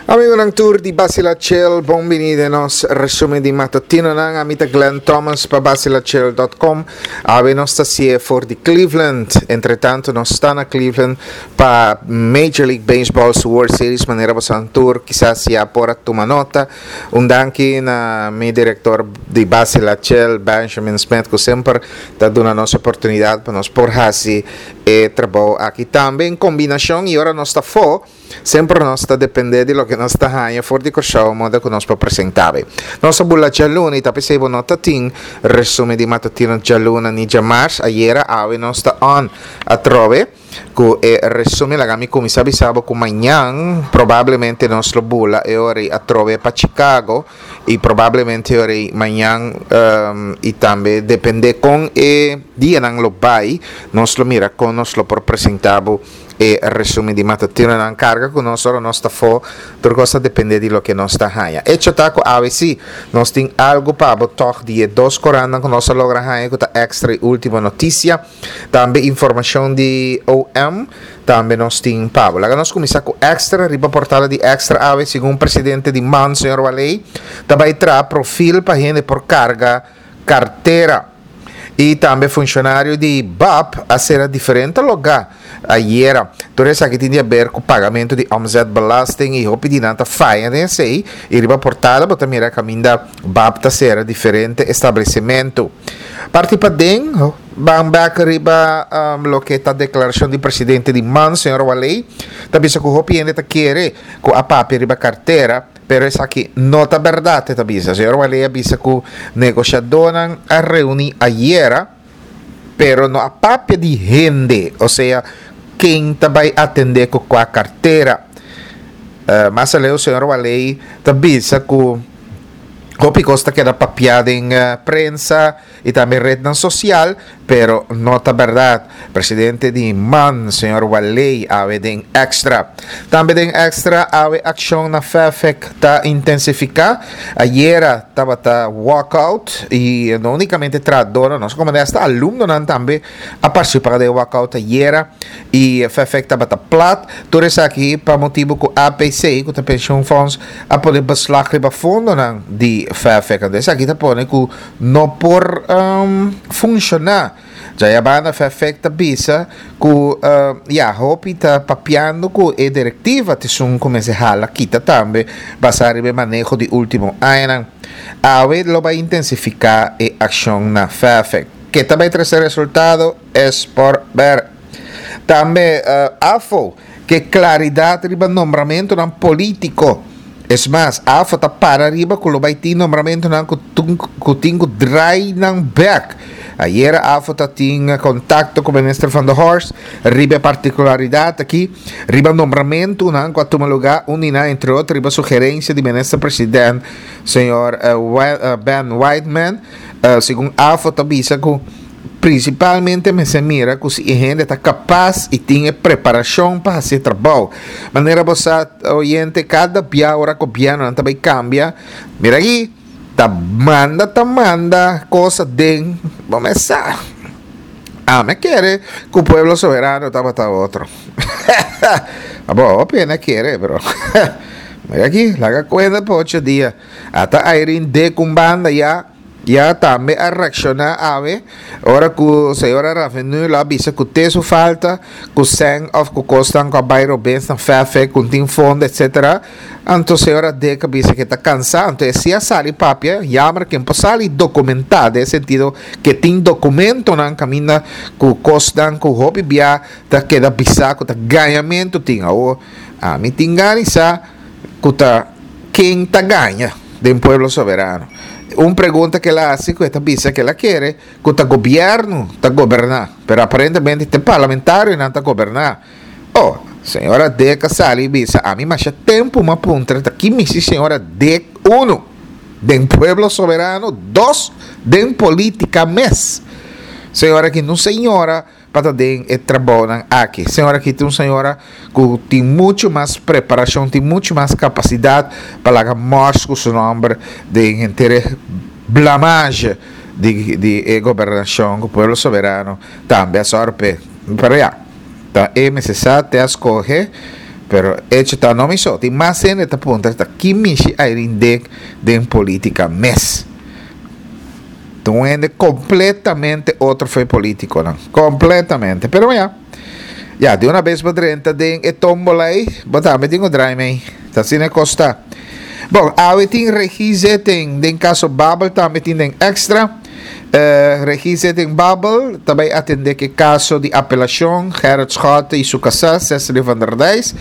Amigonan tur di Basila Chill, bon bini den nos resumen di matutinonan. Ami ta Glenn Thomas pa basilachill.com. Awe nos ta sie for di Cleveland. Entretanto nos ta na Cleveland pa Major League Baseball su World Series manera bosan tur kisas ya por a tuma nota. Un danki na mi director di Basila Chill, Benjamin Smith, ku semper ta duna nos oportunidad pa nos por hasi e trabou aki. Tambe en kombinashon i ora nos ta fo, Semper nos ta dependé di loke nos ta haña for di Kòrsou moda ku nos por presentá be. Nos a bula djaluna i ta p'esei bo no ta tin resumen di matutino djaluna ni djamars. Ayera awe nos ta on atrobe ku e resumen. Laga mi kuminsá bisa bo ku mañan probablemente nos lo bula e ora ei atrobe pa Chicago i probablemente e ora ei mañan i tambe dependé kon e dianan lo bai nos lo mira kon nos lo por presentá bo. E resumen di matutinonan karga ku nos ora nos ta fo, tur kos ta depende di loke nos ta haña. Echo ta ku awe si nos tin algu pa bo tòg di e dos korannan ku nos a logra haña ku ta Extra i Ultimo Noticia. Tambe informashon di OM tambe nos tin pa bo. Laga nos kuminsá ku Extra. Riba portada di Extra awe segun presidente di man señor Waley ta bai traha profil pa hende por karga kartera. I tambe funshonario di bap a sera diferente logá ayera. Tur esaki tin di haber ku pagamentu di omzetbelasting i hopi di nan ta faya den esei i riba portada bo ta mira kaminda bap ta sera diferente establesimentu. Parti paden ban bek riba loke ta deklarashon di presidente di man señor Waley ta bisa ku hopi hende ta kere ku a papia riba kartera. Pero esaki no ta berdad, e ta bisa. Señor Waley a bisa cu negociadornan a reuni ayera, pero no a papia di hende, osea ken ta bay atende cu cua cartera. Mas aleu señor Waley ta bisa cu hopi cos ta keda papia den prensa y tambe rednan social, pero no ta berdad. Presidente di man, señor Waley, awe den Extra. Tambe den Extra, awe accion na FEFEC ta intensifica. Ayera tabata walkout y no unicamente trahadornan, nos como hasta alumnonan tambe a participa den walkout ayera y FEFEC tabata plat. Tur esaki pa motibo cu APC, cu ta pensioenfonds, a pone beslag riba fondonan di FEFEC. Anto esaki ta pone cu no por funshoná. Djayabanda Fefec ta bisa ku ya hopi ta papiando ku e direktiva ta esun ku mester hala kita tambe basá riba e maneho di último añanan. Awe lo bai intensifiká e akshon na Fefec. Ke ta bai trese resultado es por ber. Tambe AFO. Ke klaridat riba nombramentunan polítiko. Es mas, AFO ta para riba ku lo bai tin nombramentunan ku ku tin ku drai nan bèk. Ayera AFO ta tin kontakto ku Minister Van der Horst riba e partikularidat aki, riba nombramentunan ku a tuma lugá un di nan entre otro riba sugerensia di Minister President señor Ben Whiteman. Segun AFO ta bisa ku. Prinsipalmente mester mira ku si e hende ta kapas i tin e preparashon pa hasi e trabou. Manera bo sa, oyente, kada bia ora gobièrnunan ta bai kambia, mira aki, ta manda ta manda kos aden, bo mes sa. Ami a kere ku Pueblo Soberano tabata otro. Abo, hopi hende a kere, pero mira aki, laga kuenta pa ocho dia. Ata Irene Dick un banda ya. Ya tambe a reakshoná awe ora ku señora Ravenul a bisa ku te su falta ku sèn òf ku kosnan ku a bai robes na fèfè ku tin fondo etsetera. Anto señora Dick a bisa ku e ta kansá anto e si a sali papia yammer ken por sali dokumentá den e sentido ke tin dokumentonan kaminda ku kosnan ku hopi bia ta keda bisá ku ta gañamentu tin. Awor ami tin gana di sa. Ku ta ken ta gaña den Pueblo Soberano? Un pregunta ku el a hasi ku e ta bisa ku el a kere ku ta gobièrnu ta goberná, pero aparentemente ta e parlamentarionan ta goberná. Oh, señora Dick a sali i bisa ami masha tempu mi a puntra ta ki misi señora Dick uno den Pueblo Soberano, dos den polítika mes. Señora ki no señora. pa ta den e trabounan aki. Señora aki ta un señora ku tin muchu mas preparashon, tin muchu mas kapasidat pa laga mòrs ku su nòmber den henter e blamage di di e gobernashon ku Pueblo Soberano tambe a sòru p'e. Pero ya, ta e mester sa te a skohe. Pero hecho ta no mi so, tin mas hende ta puntra ta ki mishi Irene Dick den politica mes. Ta un hende completamente otro for e politiconan. Completamente. Pero ya, ya, di una bes bo drenta den e tombola ei, bo tambe tin cu draai mei. Ta asina e cos ta. Bon, awe tin regiezitting den caso Babel tambe tin den extra. Eh, regiezitting Babel ta bay atende cu e caso di apelacion Gerrit Schotte y su casá Cecily van der Dijs.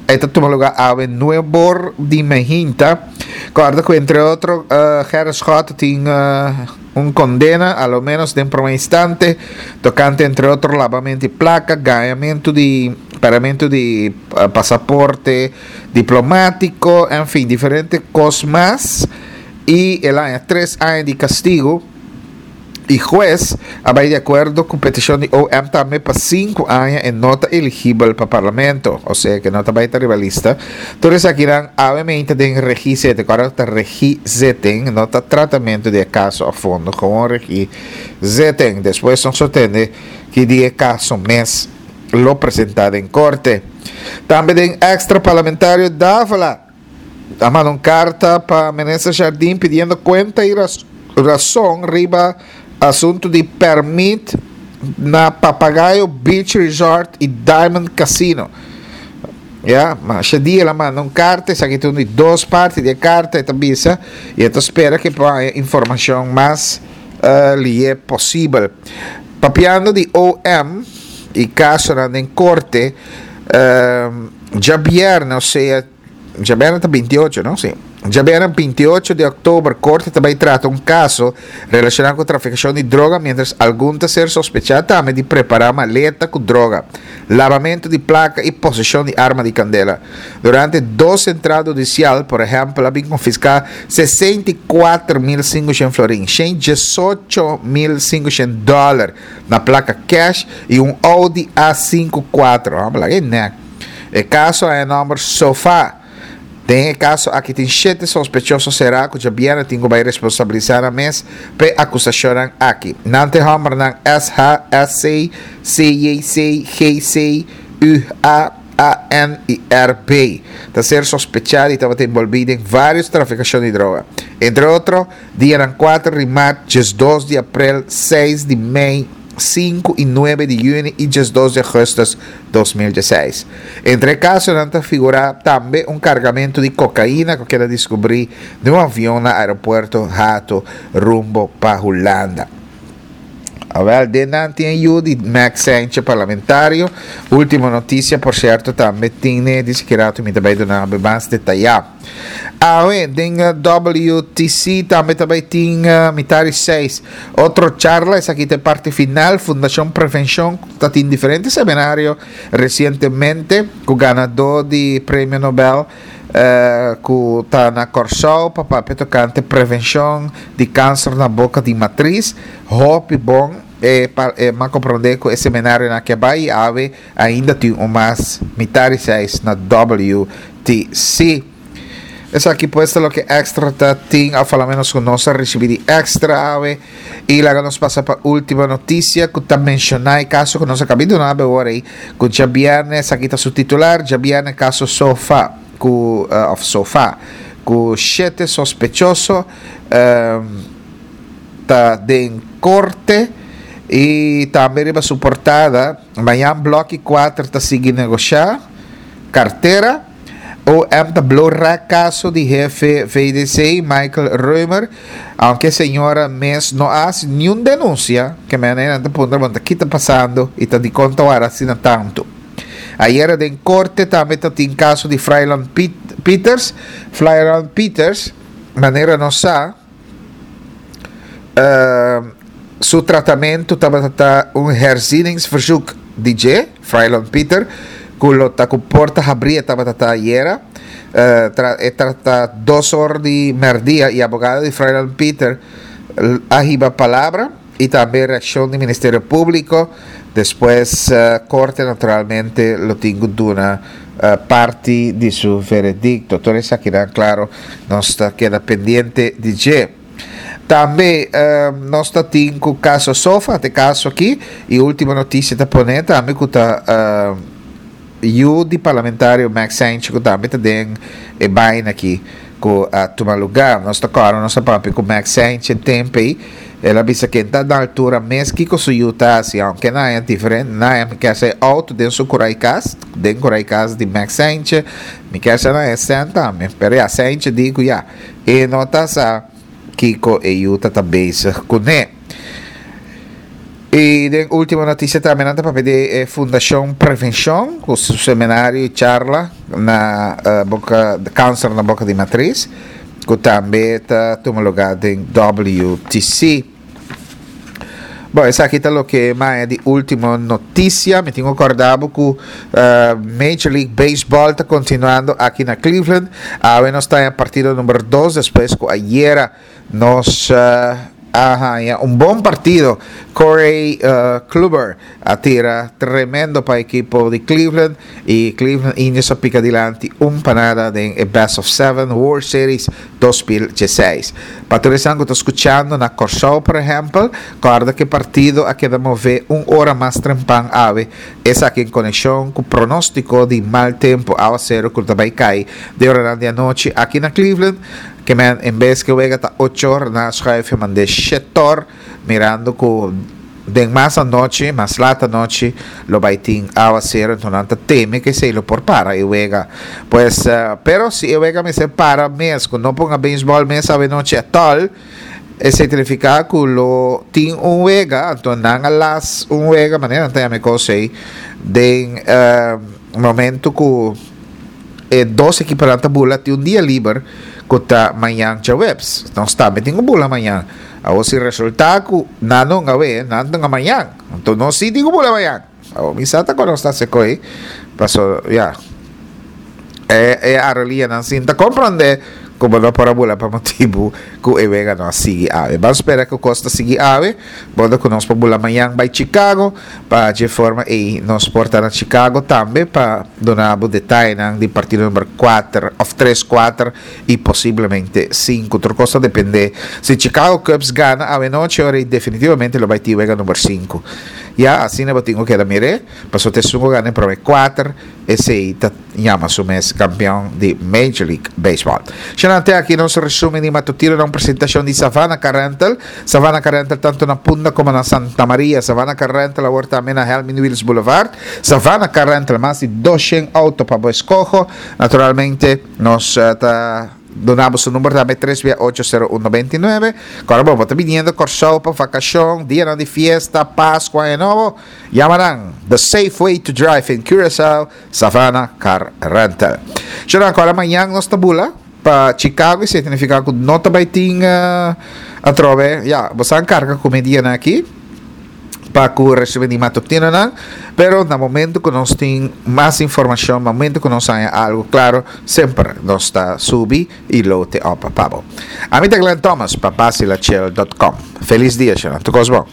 E ta tuma lugar awe nuebor di mehinta. Corda cu entre otro eh, Gerrit Schotte tin eh, un condena, a lo menos den prome instante, tocante entre otro labamento di placa, gañamento di paramento di pasaporte diplomatico, en fin, diferente cos mas. Y el haña tres aña di castigo y huez a bay di acuerdo cu peticion di OM tambe pa cinco aña e no ta eligibel pa parlamento, osea que no ta bay ta riba lista. Tur esakinan awe-mente den regie-zitting, ora ta regie-zitting no ta tratamento di e caso a fondo, gewoon regie-zitting. Despues nos lo tende ki di e caso mes lo presenta den corte. Tambe den extra parlamentario Davila. A manda un karta pa Minister Jardim pidiendo kuenta i rason riba asuntu di pèrmit na Papagayo Beach Resort i Diamond Casino. Ya, masha dia el a manda un karta, esaki ta un di dos parti di e karta, e ta bisa i e ta spera ku e por haña informashon mas lihe posibel. Papiando di OM i kasonan den korte, djabièrnè, osea Djabièrnè ta 28, no? Sí. Djabièrnè 28 di òktober, korte ta bai trata un kaso relashoná ku trafikashon di droga miéntras algun ta ser sospechá tambe di prepará maleta ku droga, labamentu di plaka i poseshon di arma di kandela. Durante dos entrada hudisial, por ehèmpel, a bin konfiská 64.500 florin, 118.500 dòler na plaka kèsh i un Audi A5 kuatro. Laga e nèk. E kaso a e nòmber Sofa. Den e kaso aki tin shete sospechoso será ku djabièrnè tin ku bai responsabilisá nan mes pa e akusashonnan aki. Nan ta e hòmbernan SH, SC, CJC, GC, UA, AN i RB. Ta ser sospechá di tabata enbolbí den vários trafikashon di droga. Entre otro, dianan kuater di mart, 12 di aprel, seis di mei, 5 i 9 di yüni i 12 di augustus 2016. Entre e kasonan ta figurá tambe un kargamentu di kokaina ku keda diskubrí den un avion na aeropuerto Hato rumbo pa Hulanda. Awèl, den nan tin e yu di Max Sentje parlamentario. Último notisia, por sierto, tambe tin ne di sikiratu mi ta bai duna mas detayá. Awe den WTC tambe ta bai tin mitar di seis otro charla, esaki ta e parti final. Fundacion Prevencion ta tin diferente seminario recientemente cu ganador di Premio Nobel cu ta na Corsou pa papia tocante prevencion di cancer na boca di matriz. Hopi bon e m'a comprende cu e seminarionan aki a bai y awe Ainda tin un mas mitar di seis na WTC. Esaki pues ta loke Extra ta tin, of a lo menos ku nos a risibi di Extra awe. I laga nos pasa pa ultimo notisia ku ta menshoná e kaso ku nos a kabi duna awe ora ei, ku djabièrnè, esaki ta su titular, djabièrnè kaso sofa ku, of sofa, ku shete sospechoso ta den korte i tambe riba su portada. Mañan Bloki 4 ta sigui negoshá kartera. OM ta blo rèk kaso di hefe VDC, Michael Römer, aunke señora mes no a hasi niun denunsia, ke manera nan ta puntra bo ta ki ta pasando i ta dikon ta wara asina tantu. Ayera den korte tambe ta tin kaso di Fryland Pieters, Flyland Pieters, manera nos sa, Su tratamentu tabata ta un herzieningsverzoek di dje, Frailon Pieter, ku lo ta ku porta habrí e tabata ta ayera. E trata dos or di mèrdia i abogado di Frailon Pieter a hiba palabra i tambe reakshon di Ministerio Públiko. Despues korte naturalmente lo tin ku duna parti di su veredikto. Tur esakinan klaro nos ta keda pendiente di dje. Tambe nos ta tin ku kaso Sofa, te kaso aki, i ultimo notisia ta pone tambe ku ta. yu di parlamentario Max Saintje ku tambe ta den e baina aki ku a tuma lugá. Nos ta kòrda nos a papia ku Max Saintje tempu ei, el a bisa ken ta na altura mes kiko su yu ta hasi, aunke nan haña diferente, nan haña mi kier sa e outo den su kurai kas, den kurai kas di Max Saintje, mi kier sa nan haña sèn tambe, pero ya Saintje di ku ya e no ta sa kiko e yu ta ta bezig kuné. Y den ultimo noticia tambe nan ta papia di e Fundacion Prevencion cu su seminario y charla na eh, boca cancer na boca di matriz cu tambe ta tuma lugar den WTC. Bon, esaki ta loke maya di ultimo noticia. Mi tin cu corda bo cu eh, Major League Baseball ta continuando aki na Cleveland. Awe nos ta en partido number 2 despues cu ayera Nos a haña un bon partido. Corey Kluber a tira tremendo pa ekipo di Cleveland y Cleveland Indians a pica dilanti un pa nada den e Best of Seven World Series 2016. Pa tur esnan cu ta scuchando na Corsou por ehempel, corda cu e partido a keda move un ora mas trempan awe, esaki en conexion cu pronostico di mal tempo, awacero cu ta bay cay den oranan di anochi aki na Cleveland. Ke men en bes ke wega ta ochor na schuif e mand'é shetor mirando ku den mas anochi, mas lat anochi lo bai tin awasero enton nan ta teme ku esei lo por para e wega. Pues pero si e wega mester para mes ku no ponga beisbòl mes awenochi atòl esei ta nifiká ku lo tin un wega anto nan a las un wega manera nan ta yama e kos ei den momento ku E dos ekiponan ta bula tin un dia liber ku ta mañan djaweps. Nos tambe tin ku bula mañan. Awor si resultá ku nan no awe, nan ta mañan. Anto nos sí tin ku bula mañan. Awor mi sa ta kon nos ta hasi koe, paso ya e e arolianan sin ta komprondé ku bo no por a bula pa motibu ku e wega no a sigui awe. Ban spera ku kos ta sigui awe. Bo ta ku nos por bula mañan bai Chicago. Pa dje forma ei nos por ta na Chicago tambe pa duna bo detayenan di partido number kuater of tres, kuater y posiblemente sinku. Tur kos ta depende. Si Chicago Cubs gana awenochi ora ei definitivamente lo bai tin wega number sinku. Ya asina bo tin ku keda mir'é pasobra ta esun ku gana e prome kuater esei ta yama su mes kampeon di Major League Baseball. Shana te aki nos resumen di matutino na un presentacion di Savannah Car Rental. Savannah Car Rental tanto na Punda como na Santa Maria. Savannah Car Rental awor tambe na Helmin Wiels Boulevard. Savannah Car Rental mas di 200 auto pa bo escoho. Naturalmente nos ta Duna bo su number tambe tres bia ocho sero un noventa i nuebe. Kòrda bo, bo ta biniendo Kòrsou pa vakashon, dianan di fiesta, Pasku, Aña Nobo, yama nan The safe way to drive in Curaçao, Savannah Car Rental. Shornan, kòrda mañan nos ta bula pa Chicago i esei ta nifiká ku no ta bai tin atrobe, ya, bo sa karga ku mi dianan aki. pa cu recibi di matutinonan, pero na momento cu nos tin mas informacion, momento cu nos haya algo claro, semper nos ta subi y lote op pa bo. Ami ta Glenn Thomas pa Basilachel dot com. Feliz dia, shana. Tur cos bon.